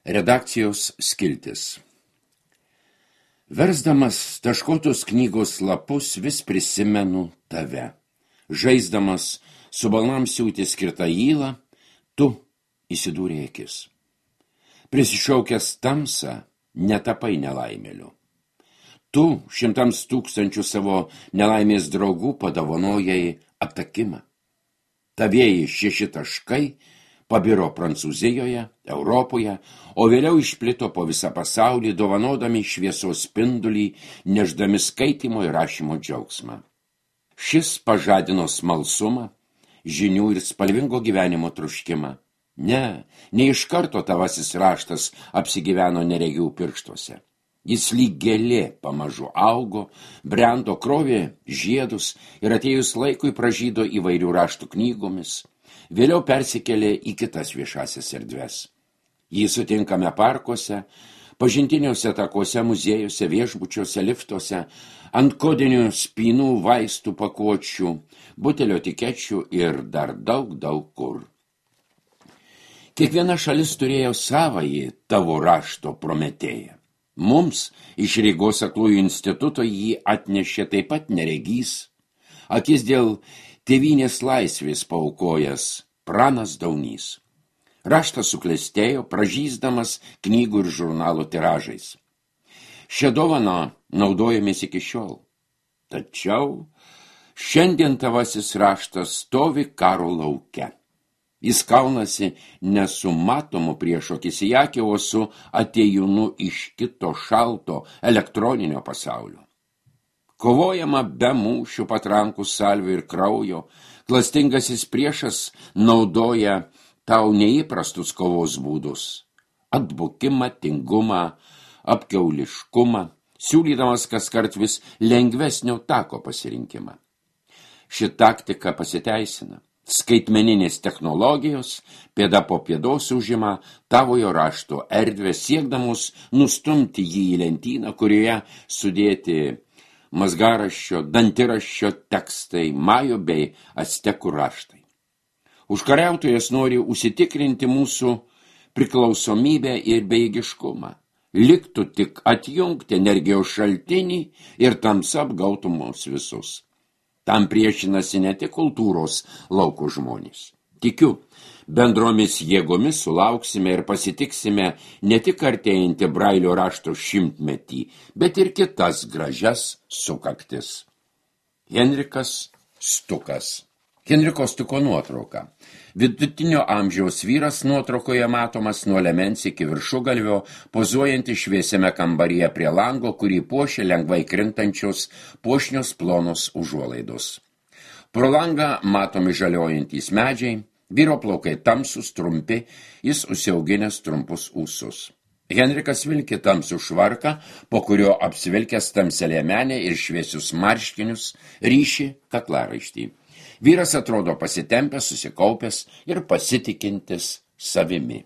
Redakcijos skiltis. Versdamas taškotos knygos lapus vis prisimenu tave. Žaisdamas su balnam siūti skirtą įlą, tu įsidūrė akis. Prisišaukęs tamsą, netapai nelaimėliu. Tu 100,000 savo nelaimės draugų padovanojai aptakimą. Tavieji 6 taškai pabiro Prancūzijoje, Europoje, o vėliau išplito po visą pasaulį, dovanodami šviesos spindulį, neždami skaitymo ir rašymo džiaugsmą. Šis pažadino smalsumą, žinių ir spalvingo gyvenimo troškimą. Ne iš karto tavasis raštas apsigyveno neregių pirštuose. Jis lyg gėlė pamažu augo, brendo, krovė žiedus ir atėjus laikui pražydo įvairių raštų knygomis. Vėliau persikėlė į kitas viešasias erdves. Jį sutinkame parkuose, pažintiniuose takuose, muziejuose, viešbučiuose, liftuose, ant kodinių spynų, vaistų pakuočių, butelio etikečių ir dar daug kur. Kiekviena šalis turėjo savąjį tavo rašto Prometėją. Mums iš Rygos aklųjų instituto jį atnešė taip pat neregys, akis dėl tėvynės laisvės paaukojęs Pranas Daunys. Raštas suklestėjo, pražysdamas knygų ir žurnalų tiražais. Šią dovaną naudojamės iki šiol. Tačiau šiandien tavasis raštas stovi karo lauke. Jis kaunasi nesu matomu prieš akis į akį, o su atėjūnu iš kito šalto elektroninio pasaulio. Kovojama be mūšių, patrankų, salvių ir kraujo, klastingasis priešas naudoja tau neįprastus kovos būdus. Atbukimą, tingumą, apkiauliškumą, siūlydamas kaskart vis lengvesnio tako pasirinkimą. Ši taktika pasiteisina. Skaitmeninės technologijos pėda po pėdos užima tavojo rašto erdvę, siekdamus nustumti jį į lentyną, kurioje sudėti mazgaraščio, dantiraščio tekstai, majų bei actekų raštai. Užkariautojas nori užsitikrinti mūsų priklausomybę ir bejėgiškumą. Liktų tik atjungti energijos šaltinį ir tamsa apgautų mus visus. Tam priešinasi ne tik kultūros lauko žmonės. Tikiu, bendromis jėgomis sulauksime ir pasitiksime ne tik artėjantį Brailio rašto 100-metį, bet ir kitas gražias sukaktis. Henrikas Stukas. Henriko Stuko nuotrauka. Vidutinio amžiaus vyras nuotraukoje matomas nuo liemens iki viršugalvio, pozuojantį šviesiame kambaryje prie lango, kurį puošia lengvai krintančios puošnios plonos užuolaidos. Pro langą matomi žaliojantys medžiai, vyro plaukai tamsus, trumpi, jis užsiauginęs trumpus ūsus. Henrikas vilki tamsų švarką, po kurio apsivilkęs tamsią liemenę ir šviesius marškinius ryši kaklaraištį. Vyras atrodo pasitempęs, susikaupęs ir pasitikintis savimi.